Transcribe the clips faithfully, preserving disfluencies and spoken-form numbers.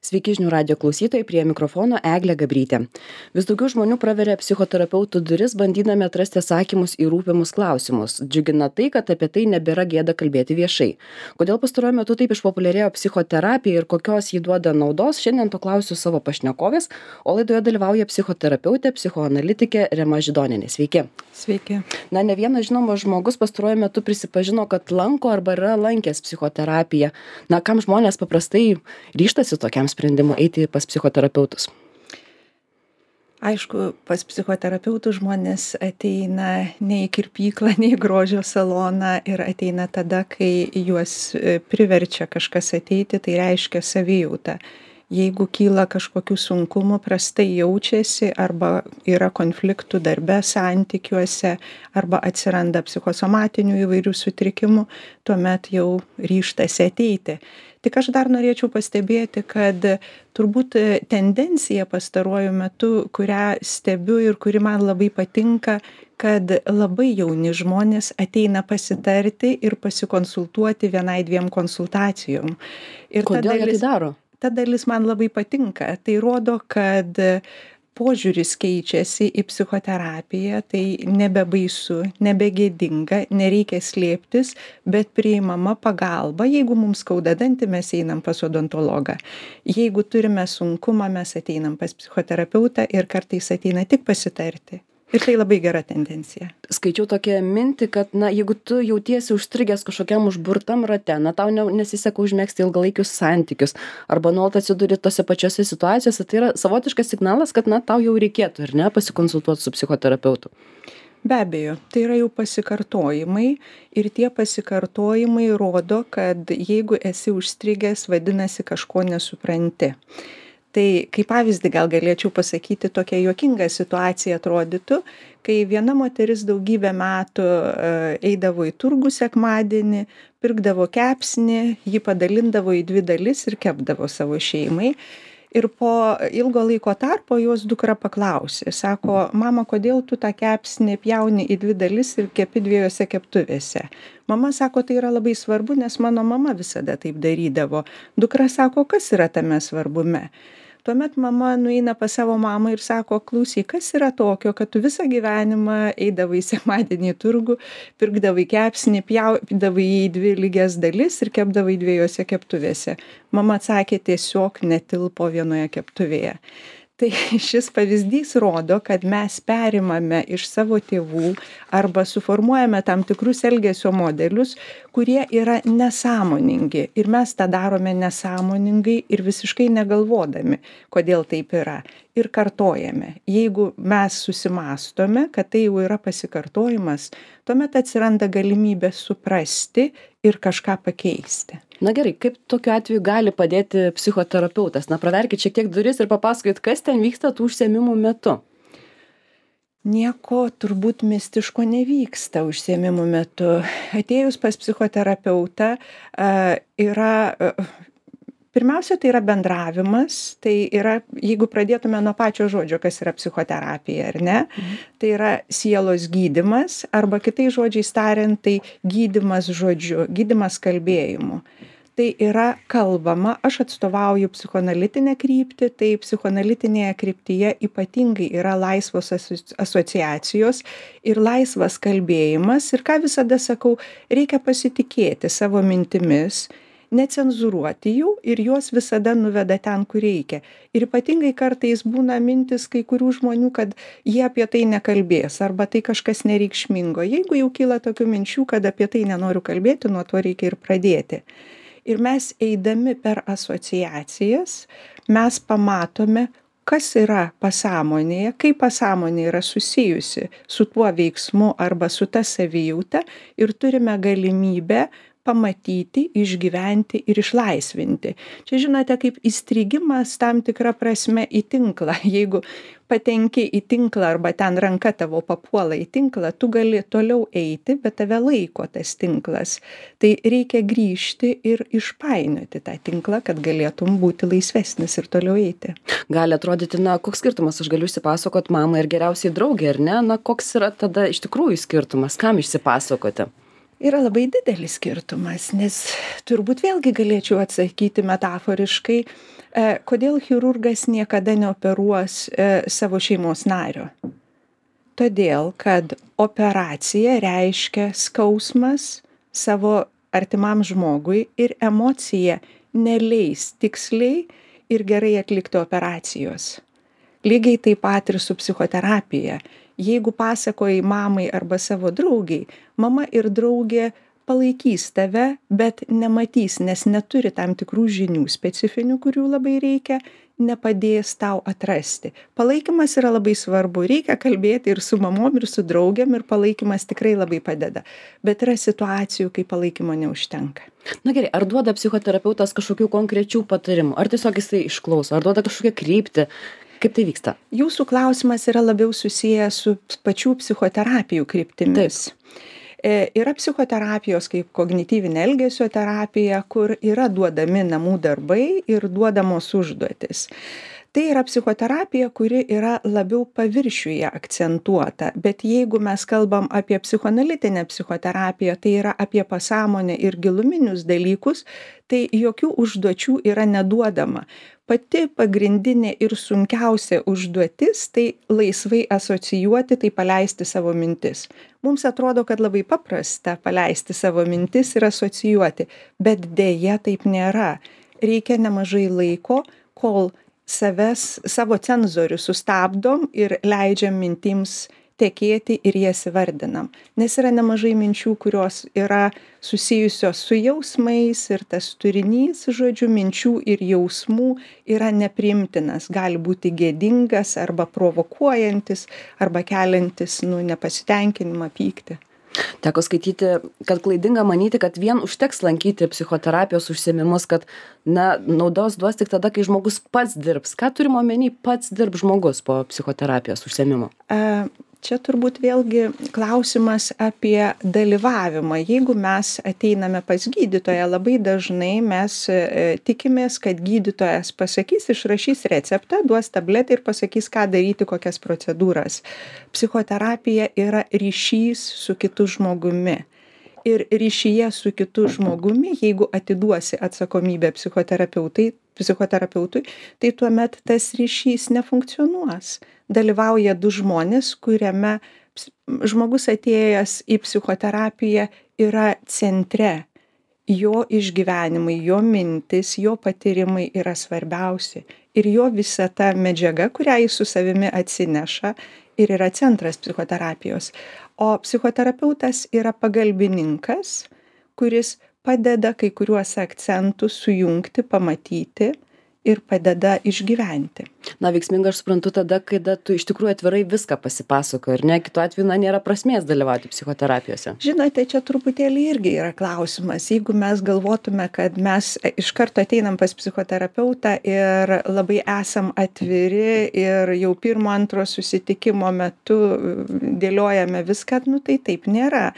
Sveiki žinių radijo klausytojai, prie mikrofono Eglė Gabrytė. Vis daugiau žmonių praveria psichoterapeutų duris, bandydami atrasti atsakymus į rūpimus klausimus. Džiugina tai, kad apie tai nebėra gėda kalbėti viešai. Kodėl pastaruoju metu taip išpopuliarėjo psichoterapija ir kokios jį duoda naudos, šiandien to klausiu savo pašnekovės, o laidoje dalyvauja psichoterapeutė, psichoanalitikė Rema Židonienė. Sveiki. Sveiki. Na, ne vienas žinomas žmogus pastaruoju metu prisipažino, kad lanko arba yra lankęs psichoterapiją. Na, kam žmonės paprastai ryžtasi tokiam sprendimu eiti pas psichoterapeutus? Aišku, pas psichoterapeutus žmonės ateina ne į kirpyklą, ne į grožio saloną ir ateina tada, kai juos priverčia kažkas ateiti, tai reiškia savijautą. Jeigu kyla kažkokių sunkumų, prastai jaučiasi arba yra konfliktų darbe, santykiuose arba atsiranda psichosomatinių įvairių sutrikimų, tuomet jau ryžtasi ateiti. Tik aš dar norėčiau pastebėti, kad turbūt tendencija pastaruoju metu, kurią stebiu ir kuri man labai patinka, kad labai jauni žmonės ateina pasitarti ir pasikonsultuoti vienai dviem konsultacijom. Ir Kodėl jie tai daro? Ta dalis man labai patinka. Tai rodo, kad požiūris keičiasi į psichoterapiją, tai nebebaisu, nebegėdinga, nereikia slėptis, bet priimama pagalba. Jeigu mums skauda dantį, mes einam pas odontologą. Jeigu turime sunkumą, mes ateinam pas psichoterapeutą ir kartais ateina tik pasitarti. Ir tai labai gera tendencija. Skaičiau tokią mintį, kad, na, jeigu tu jautiesi užstrigęs kažkokiam užburtam rate, na, tau ne, nesiseka užmėgsti ilgalaikius santykius, arba nuolat atsiduri tose pačiose situacijose, tai yra savotiškas signalas, kad, na, tau jau reikėtų, ar ne, pasikonsultuoti su psichoterapeutu. Be abejo, tai yra jau pasikartojimai ir tie pasikartojimai rodo, kad jeigu esi užstrigęs, vadinasi, kažko nesupranti. Tai kaip pavyzdį gal galėčiau pasakyti, tokia juokinga situacija atrodytų, kai viena moteris daugybę metų eidavo į turgų sekmadienį, pirkdavo kepsnį, jį padalindavo į dvi dalis ir kepdavo savo šeimai. Ir po ilgo laiko tarpo jos dukra paklausė, sako, mama, kodėl tu tą kepsnį pjauni į dvi dalis ir kepi dviejose keptuvėse? Mama sako, tai yra labai svarbu, nes mano mama visada taip darydavo. Dukra sako, kas yra tame svarbume? Tuomet mama nueina pas savo mamą ir sako, klausyk, kas yra tokio, kad tu visą gyvenimą eidavai sekmadienį į turgų, pirkdavai kepsnį, pjaudavai į dvi lygias dalis ir kepdavai dviejose keptuvėse. Mama atsakė, tiesiog netilpo vienoje keptuvėje. Tai šis pavyzdys rodo, kad mes perimame iš savo tėvų arba suformuojame tam tikrus elgesio modelius, kurie yra nesąmoningi. Ir mes tą darome nesąmoningai ir visiškai negalvodami, kodėl taip yra. Ir kartojame. Jeigu mes susimastome, kad tai jau yra pasikartojimas, tuomet atsiranda galimybė suprasti ir kažką pakeisti. Na gerai, kaip tokiu atveju gali padėti psichoterapeutas? Na, praverkit šiek tiek duris ir papasakokit, kas ten vyksta tų užsiėmimų metu. Nieko turbūt mistiško nevyksta užsiėmimų metu. Atėjus pas psichoterapeutą yra... Pirmiausia, tai yra bendravimas, tai yra, jeigu pradėtume nuo pačio žodžio, kas yra psichoterapija, ar ne, mhm. tai yra sielos gydymas, arba kitais žodžiais tariant, tai gydymas žodžiu, gydymas kalbėjimu. Tai yra kalbama, aš atstovauju psichoanalitinę kryptį, tai psichoanalitinėje kryptyje ypatingai yra laisvos asociacijos ir laisvas kalbėjimas. Ir ką visada sakau, reikia pasitikėti savo mintimis, necenzuruoti jų ir juos visada nuveda ten, kur reikia. Ir ypatingai kartais būna mintis kai kurių žmonių, kad jie apie tai nekalbės arba tai kažkas nereikšmingo. Jeigu jau kyla tokių minčių, kad apie tai nenoriu kalbėti, nuo to reikia ir pradėti. Ir mes eidami per asociacijas, mes pamatome, kas yra pasąmonėje, kaip pasąmonė yra susijusi su tuo veiksmu arba su ta savijauta ir turime galimybę pamatyti, išgyventi ir išlaisvinti. Čia žinote, kaip įstrigimas tam tikra prasme į tinklą. Jeigu patenki į tinklą arba ten ranka tavo papuola į tinklą, tu gali toliau eiti, bet tave laiko tas tinklas. Tai reikia grįžti ir išpainioti tą tinklą, kad galėtum būti laisvesnis ir toliau eiti. Gali atrodyti, na, koks skirtumas, aš galiu išsipasakot mamai ir geriausiai draugė, ar ne? Na, koks yra tada iš tikrųjų skirtumas, kam išsipasakoti? Yra labai didelis skirtumas, nes turbūt vėlgi galėčiau atsakyti metaforiškai, E, kodėl chirurgas niekada neoperuos e, savo šeimos nario? Todėl, kad operacija reiškia skausmas savo artimam žmogui ir emocija neleis tiksliai ir gerai atlikti operacijos. Lygiai taip pat ir su psichoterapija. Jeigu pasakoji mamai arba savo draugiai, mama ir draugė palaikys tave, bet nematys, nes neturi tam tikrų žinių specifinių, kurių labai reikia, nepadės tau atrasti. Palaikymas yra labai svarbu, reikia kalbėti ir su mamom, ir su draugiam, ir palaikymas tikrai labai padeda. Bet yra situacijų, kai palaikymo neužtenka. Na gerai, ar duoda psichoterapeutas kažkokių konkrečių patarimų, ar tiesiog jisai išklauso, ar duoda kažkokią kryptį? Kaip tai vyksta? Jūsų klausimas yra labiau susijęs su pačių psichoterapijų kryptimis. Taip. Yra psichoterapijos kaip kognityvinė elgesio terapija, kur yra duodami namų darbai ir duodamos užduotis. Tai yra psichoterapija, kuri yra labiau paviršiuje akcentuota, bet jeigu mes kalbam apie psichoanalitinę psichoterapiją, tai yra apie pasąmonę ir giluminius dalykus, tai jokių užduočių yra neduodama. Pati pagrindinė ir sunkiausia užduotis tai laisvai asocijuoti, tai paleisti savo mintis. Mums atrodo, kad labai paprasta paleisti savo mintis ir asocijuoti, bet dėja taip nėra. Reikia nemažai laiko, kol savęs, savo cenzorių sustabdom ir leidžiam mintims tekėti ir jas įvardinam. Nes yra nemažai minčių, kurios yra susijusios su jausmais ir tas turinys, žodžiu, minčių ir jausmų yra nepriimtinas. Gali būti gėdingas arba provokuojantis arba keliantis, nu, nepasitenkinimą, pyktį. Teko skaityti, kad klaidinga manyti, kad vien užteks lankyti psichoterapijos užsiėmimus, kad na, naudos duos tik tada, kai žmogus pats dirbs. Ką turime omeny pats dirb žmogus po psichoterapijos užsiėmimo? A, Čia turbūt vėlgi klausimas apie dalyvavimą. Jeigu mes ateiname pas gydytoją, labai dažnai mes e, tikimės, kad gydytojas pasakys, išrašys receptą, duos tabletę ir pasakys, ką daryti, kokias procedūras. Psichoterapija yra ryšys su kitu žmogumi. Ir ryšyje su kitu žmogumi, jeigu atiduosi atsakomybę psichoterapeutui, psichoterapeutui, tai tuomet tas ryšys nefunkcionuos. Dalyvauja du žmonės, kuriame žmogus atėjęs į psichoterapiją yra centre. Jo išgyvenimai, jo mintis, jo patyrimai yra svarbiausi. Ir jo visa ta medžiaga, kurią jis su savimi atsineša, ir yra centras psichoterapijos. O psichoterapeutas yra pagalbininkas, kuris padeda kai kuriuos akcentus sujungti, pamatyti ir padeda išgyventi. Na, veiksminga aš suprantu tada, kai da, tu iš tikrųjų atvirai viską pasipasakoji, ir ne, kitu atveju na, nėra prasmės dalyvauti psichoterapijose. Žinote, čia truputėlį irgi yra klausimas. Jeigu mes galvotume, kad mes iš karto ateinam pas psichoterapeutą ir labai esam atviri ir jau pirmo, antro susitikimo metu dėliojame viską, nu tai taip nėra.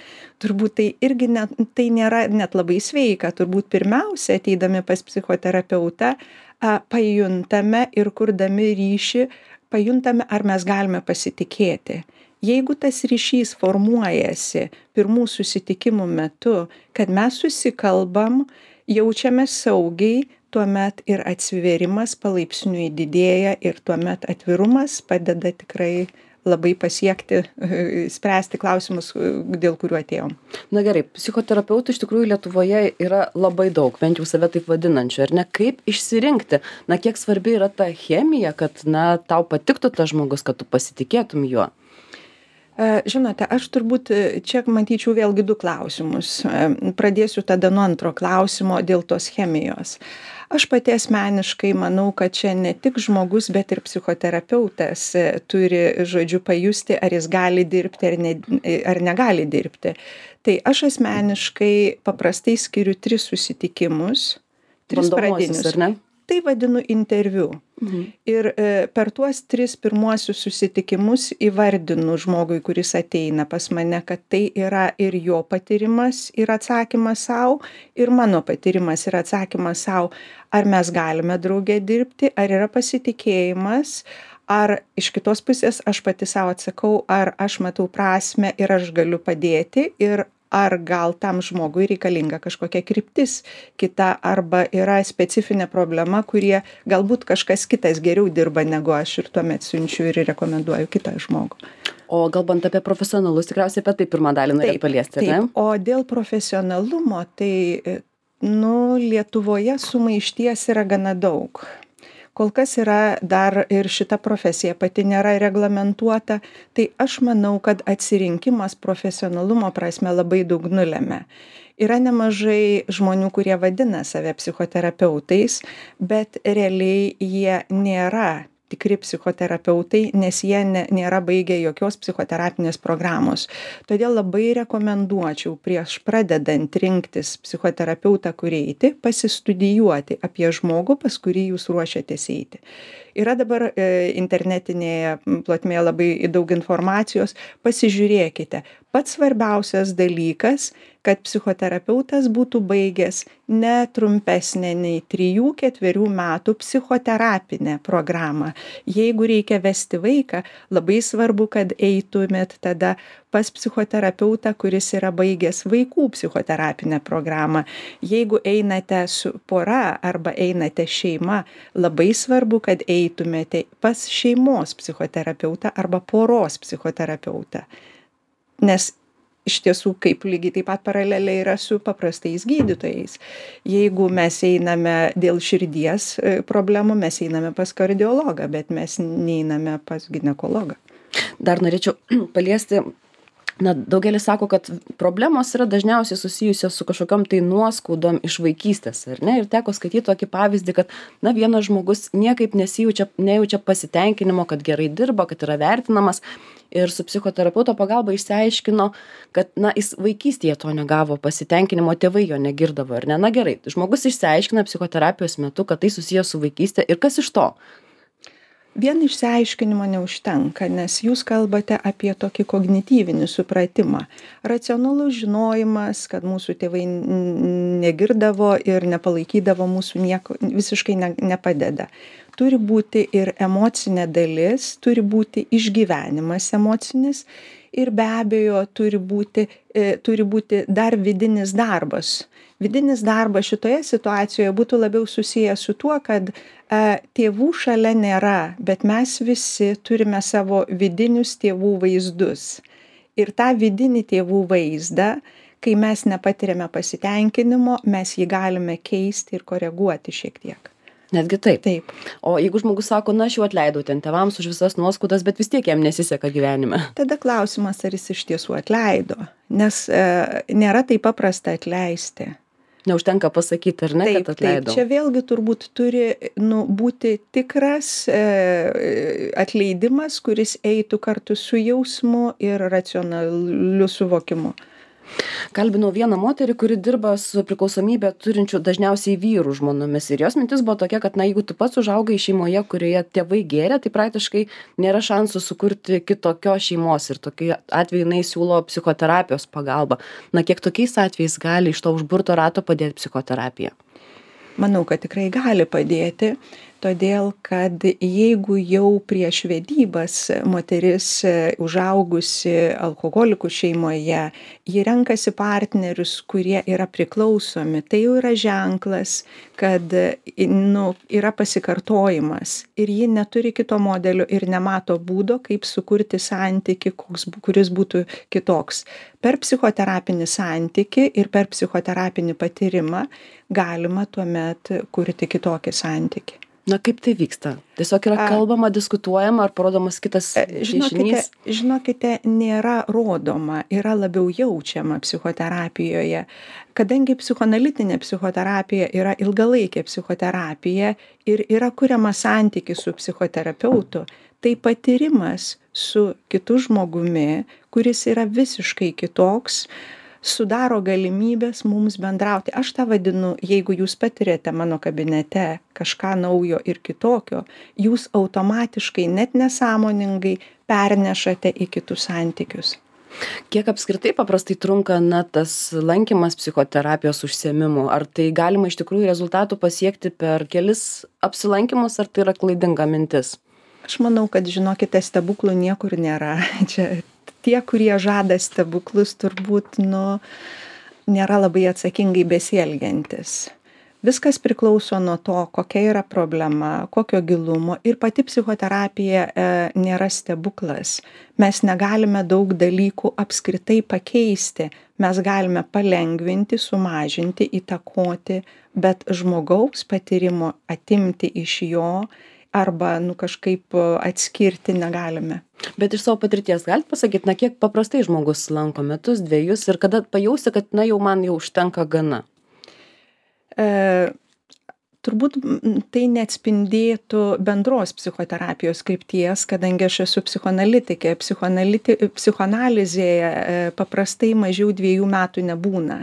Turbūt tai irgi net, tai nėra net labai sveika. Turbūt pirmiausia, ateidami pas psichoterapeutą, pajuntame ir kurdami ryšį, pajuntame, ar mes galime pasitikėti. Jeigu tas ryšys formuojasi pirmų susitikimų metu, kad mes susikalbam, jaučiame saugiai, tuomet ir atsivėrimas palaipsniui didėja ir tuomet atvirumas padeda tikrai labai pasiekti, spręsti klausimus, dėl kurių atėjom. Na gerai, psichoterapeutų iš tikrųjų Lietuvoje yra labai daug, bent jau save taip vadinančių, ar ne? Kaip išsirinkti? Na, kiek svarbi yra ta chemija, kad, na, tau patiktų tas žmogus, kad tu pasitikėtum juo? Žinote, aš turbūt čia matyčiau vėlgi du klausimus. Pradėsiu tada nuo antro klausimo dėl tos chemijos. Aš pati asmeniškai manau, kad čia ne tik žmogus, bet ir psichoterapeutas turi, žodžiu, pajusti, ar jis gali dirbti ar, ne, ar negali dirbti. Tai aš asmeniškai paprastai skiriu tris susitikimus, tris pradinius. Ar ne? Tai vadinu interviu. Mhm. Ir e, per tuos tris pirmuosius susitikimus įvardinu žmogui, kuris ateina pas mane, kad tai yra ir jo patyrimas ir atsakymas savo, ir mano patyrimas ir atsakymas savo, ar mes galime drauge dirbti, ar yra pasitikėjimas, ar iš kitos pusės aš pati savo atsakau, ar aš matau prasmę ir aš galiu padėti, ir ar gal tam žmogui reikalinga kažkokia kryptis kita arba yra specifinė problema, kurie galbūt kažkas kitas geriau dirba negu aš ir tuomet siunčiu ir rekomenduoju kitą žmogų. O kalbant apie profesionalus, tikriausiai apie tai pirmą dalį norėjai paliesti, ar ne? Taip, o dėl profesionalumo, tai nu, Lietuvoje sumaišties yra gana daug. Kol kas yra dar ir šita profesija pati nėra reglamentuota, tai aš manau, kad atsirinkimas profesionalumo prasme labai daug nulemia. Yra nemažai žmonių, kurie vadina save psichoterapeutais, bet realiai jie nėra tikri psichoterapeutai, nes jie ne, nėra baigę jokios psichoterapinės programos. Todėl labai rekomenduočiau prieš pradedant rinktis psichoterapeutą, kur eiti, pasistudijuoti apie žmogų, pas kurį jūs ruošiatės eiti. Yra dabar e, internetinėje plotmėje labai daug informacijos, pasižiūrėkite. Pats svarbiausias dalykas, kad psichoterapeutas būtų baigęs ne trumpesnė nei trijų ketverių metų psichoterapinę programą. Jeigu reikia vesti vaiką, labai svarbu, kad eitumėt tada pas psichoterapeutą, kuris yra baigęs vaikų psichoterapinę programą. Jeigu einate su pora arba einate šeima, labai svarbu, kad eitumėte pas šeimos psichoterapeutą arba poros psichoterapeutą. Nes iš tiesų, kaip lygiai taip pat paraleliai yra su paprastais gydytojais. Jeigu mes einame dėl širdies problemų, mes einame pas kardiologą, bet mes neiname pas ginekologą. Dar norėčiau paliesti, na, daugelis sako, kad problemos yra dažniausiai susijusios su kažkokiom tai nuoskaudom iš vaikystės, ar ne? Ir teko skaityti tokį pavyzdį, kad, na, vienas žmogus niekaip nesijaučia, nejaučia pasitenkinimo, kad gerai dirba, kad yra vertinamas. Ir su psichoterapeuto pagalba išsiaiškino, kad, na, jis vaikystėje to negavo pasitenkinimo, tėvai jo negirdavo, ar ne? Na gerai, žmogus išsiaiškina psichoterapijos metu, kad tai susijęs su vaikystė ir kas iš to? Vien išsiaiškinimo neužtenka, nes jūs kalbate apie tokį kognityvinį supratimą. Racionalus žinojimas, kad mūsų tėvai negirdavo ir nepalaikydavo mūsų nieko, visiškai ne, nepadeda. Turi būti ir emocinė dalis, turi būti išgyvenimas emocinis ir be abejo turi būti, e, turi būti dar vidinis darbas. Vidinis darbas šitoje situacijoje būtų labiau susijęs su tuo, kad e, tėvų šalia nėra, bet mes visi turime savo vidinius tėvų vaizdus. Ir tą vidinį tėvų vaizdą, kai mes nepatiriame pasitenkinimo, mes jį galime keisti ir koreguoti šiek tiek. Netgi taip. Taip. O jeigu žmogus sako, na, aš jau atleidau ten tėvams už visas nuoskaudas, bet vis tiek jam nesiseka gyvenime. Tada klausimas, ar jis iš tiesų atleido, nes e, nėra taip paprasta atleisti. Neužtenka pasakyti, ar ne, taip, kad atleidau. Taip, čia vėlgi turbūt turi nu, būti tikras e, atleidimas, kuris eitų kartu su jausmu ir racionaliu suvokimu. Kalbinau vieną moterį, kuri dirba su priklausomybę turinčių dažniausiai vyrų žmonomis. Ir jos mintis buvo tokia, kad, na, jeigu tu pats užaugai šeimoje, kurioje tėvai gėrė, tai praktiškai nėra šansų sukurti kitokios šeimos. Ir tokiu atveju jinai siūlo psichoterapijos pagalbą. Na, kiek tokiais atvejais gali iš to užburto rato padėti psichoterapija? Manau, kad tikrai gali padėti, todėl kad jeigu jau prieš vedybas moteris užaugusi alkoholikų šeimoje, ji renkasi partnerius, kurie yra priklausomi, tai jau yra ženklas, kad nu, yra pasikartojimas ir ji neturi kito modelio ir nemato būdo, kaip sukurti santykį, koks, kuris būtų kitoks. Per psichoterapinį santykį ir per psichoterapinį patyrimą galima tuomet kurti kitokį santykį. Na, kaip tai vyksta? Tiesiog yra kalbama, diskutuojama ar parodomas kitas žinokite, žinokite, nėra rodoma, yra labiau jaučiama psichoterapijoje. Kadangi psichoanalitinė psichoterapija yra ilgalaikė psichoterapija ir yra kuriamas santykis su psichoterapeutu, tai patyrimas su kitu žmogumi, kuris yra visiškai kitoks, sudaro galimybės mums bendrauti. Aš tą vadinu, jeigu jūs patirėte mano kabinete kažką naujo ir kitokio, jūs automatiškai net nesąmoningai pernešate į kitus santykius. Kiek apskritai paprastai trunka, na, tas lankymas psichoterapijos užsiėmimų? Ar tai galima iš tikrųjų rezultatų pasiekti per kelis apsilankymus, ar tai yra klaidinga mintis? Aš manau, kad, žinokite, stebuklų niekur nėra. Čia tie, kurie žada stebuklus, turbūt, nu, nėra labai atsakingai besielgiantis. Viskas priklauso nuo to, kokia yra problema, kokio gilumo ir pati psichoterapija e, nėra stebuklas. Mes negalime daug dalykų apskritai pakeisti. Mes galime palengvinti, sumažinti, įtakoti, bet žmogaus patyrimo atimti iš jo arba nu, kažkaip atskirti negalime. Bet iš savo patirties galite pasakyti, na kiek paprastai žmogus lanko metus, dviejus ir kada pajausi, kad na jau man jau užtenka gana? E, turbūt tai neatspindėtų bendros psichoterapijos krypties, kadangi aš esu psichoanalitikė. Psichoanaliti, psichoanalizėje e, paprastai mažiau dviejų metų nebūna,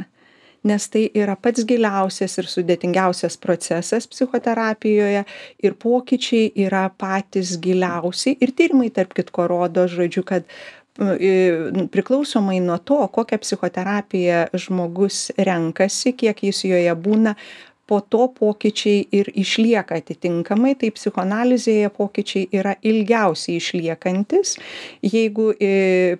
nes tai yra pats giliausias ir sudėtingiausias procesas psichoterapijoje ir pokyčiai yra patys giliausi ir tyrimai tarp kitko rodo, žodžiu, kad priklausomai nuo to, kokią psichoterapiją žmogus renkasi, kiek jis joje būna, po to pokyčiai ir išlieka atitinkamai, tai psichoanalizėje pokyčiai yra ilgiausiai išliekantis. Jeigu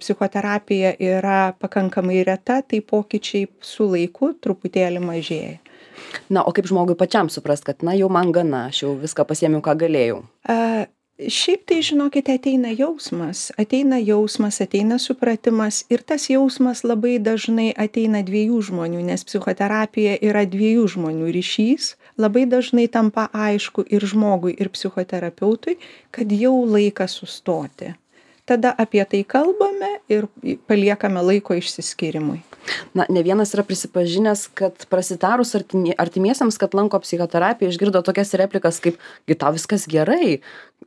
psichoterapija yra pakankamai reta, tai pokyčiai su laiku truputėlį mažėja. Na, o kaip žmogui pačiam suprast, kad na jau man gana, aš jau viską pasiėmiau, ką galėjau? A, Šiaip tai, žinokite, ateina jausmas, ateina jausmas, ateina supratimas ir tas jausmas labai dažnai ateina dviejų žmonių, nes psichoterapija yra dviejų žmonių ryšys, labai dažnai tampa aišku ir žmogui, ir psichoterapeutui, kad jau laikas sustoti. Tada apie tai kalbame ir paliekame laiko išsiskyrimui. Na, ne vienas yra prisipažinęs, kad prasitarus artimiesiems, kad lanko psichoterapiją, išgirdo tokias replikas kaip, gi tau viskas gerai,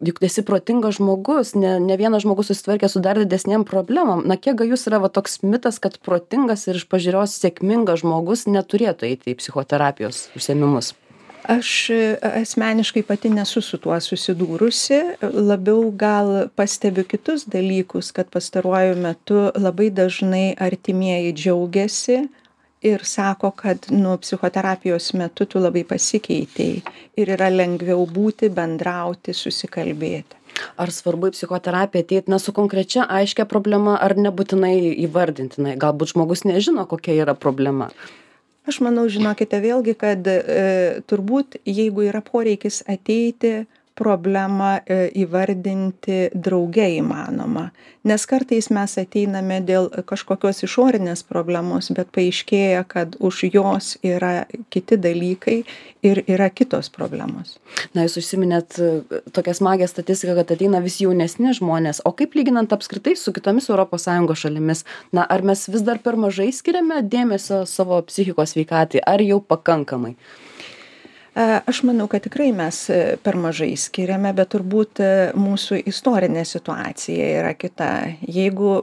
juk esi protingas žmogus, ne, ne vienas žmogus susitvarkė su dar didesnėm problemom. Na, kiek gajus yra va, toks mitas, kad protingas ir iš pažiūros sėkmingas žmogus neturėtų eiti į psichoterapijos užsiėmimus? Aš asmeniškai pati nesu su tuo susidūrusi, labiau gal pastebiu kitus dalykus, kad pastaruoju metu labai dažnai artimieji džiaugiasi ir sako, kad nu, psichoterapijos metu tu labai pasikeitei ir yra lengviau būti, bendrauti, susikalbėti. Ar svarbu į psichoterapiją ateiti na, su konkrečia aiškia problema, ar nebūtinai įvardintinai? Galbūt žmogus nežino, kokia yra problema. Aš manau, žinokite, vėlgi, kad e, turbūt jeigu yra poreikis ateiti, problemą e, įvardinti drauge įmanoma. Nes kartais mes ateiname dėl kažkokios išorinės problemos, bet paaiškėja, kad už jos yra kiti dalykai ir yra kitos problemos. Na, jūs užsiminėt tokią smagę statistiką, kad ateina vis jaunesni žmonės. O kaip lyginant apskritai su kitomis Europos Sąjungos šalimis? Na, ar mes vis dar per mažai skiriame dėmesio savo psichikos sveikatai, ar jau pakankamai? Aš manau, kad tikrai mes per mažai skiriame, bet turbūt mūsų istorinė situacija yra kita. Jeigu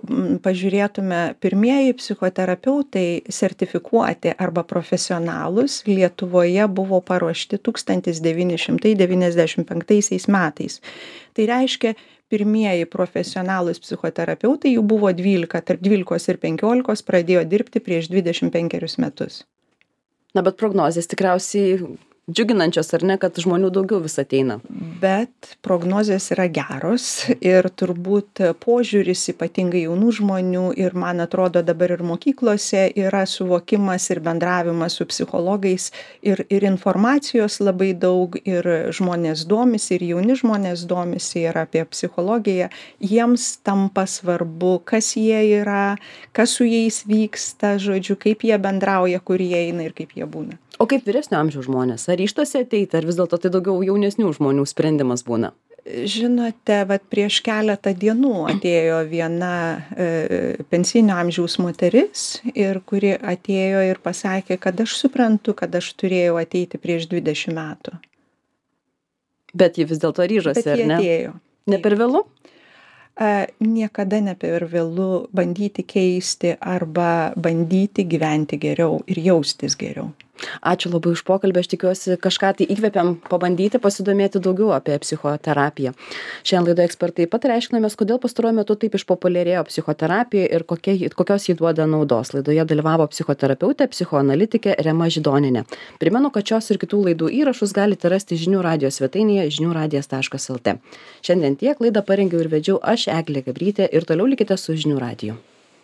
pažiūrėtume, pirmieji psichoterapeutai sertifikuoti arba profesionalus Lietuvoje buvo paruošti tūkstantis devyni šimtai devyniasdešimt penktaisiais metais. Tai reiškia, pirmieji profesionalūs psichoterapeutai, jų buvo dvylika, tarp dvylikos ir penkiolikos pradėjo dirbti prieš dvidešimt penkerius metus. Na, bet prognozės tikriausiai džiuginančios, ar ne, kad žmonių daugiau vis ateina? Bet prognozės yra geros ir turbūt požiūris ypatingai jaunų žmonių ir man atrodo dabar ir mokyklose yra suvokimas ir bendravimas su psichologais ir, ir informacijos labai daug ir žmonės domisi ir jauni žmonės domisi ir apie psichologiją. Jiems tampa svarbu, kas jie yra, kas su jais vyksta, žodžiu, kaip jie bendrauja, kur jie eina ir kaip jie būna. O kaip vyresnio amžiaus žmonės? Ar ryžtasi ateiti, ar vis dėlto tai daugiau jaunesnių žmonių sprendimas būna? Žinote, vat prieš keletą dienų atėjo viena e, pensinio amžiaus moteris, ir kuri atėjo ir pasakė, kad aš suprantu, kad aš turėjau ateiti prieš dvidešimt metų. Bet ji vis dėlto ryžosi, ar ne? Bet ji atėjo. Ne per vėlu? A, niekada ne per vėlu bandyti keisti arba bandyti gyventi geriau ir jaustis geriau. Ačiū labai už pokalbį, aš tikiuosi kažką tai įkvėpiam pabandyti pasidomėti daugiau apie psichoterapiją. Šiandien laidoje ekspertai pataria, aiškinamės, kodėl pastaruoju metu taip išpopuliarėjo psichoterapija ir kokie, kokios jį duoda naudos. Laidoje dalyvavo psichoterapeutė, psichoanalitikė Rema Židonienė. Primenu, kad šios ir kitų laidų įrašus galite rasti žinių radijo svetainėje žinių radijas taškas lt. Šiandien tiek, laidą parengiau ir vedžiau aš, Eglė Gabrytė, ir toliau likite su žinių radiju.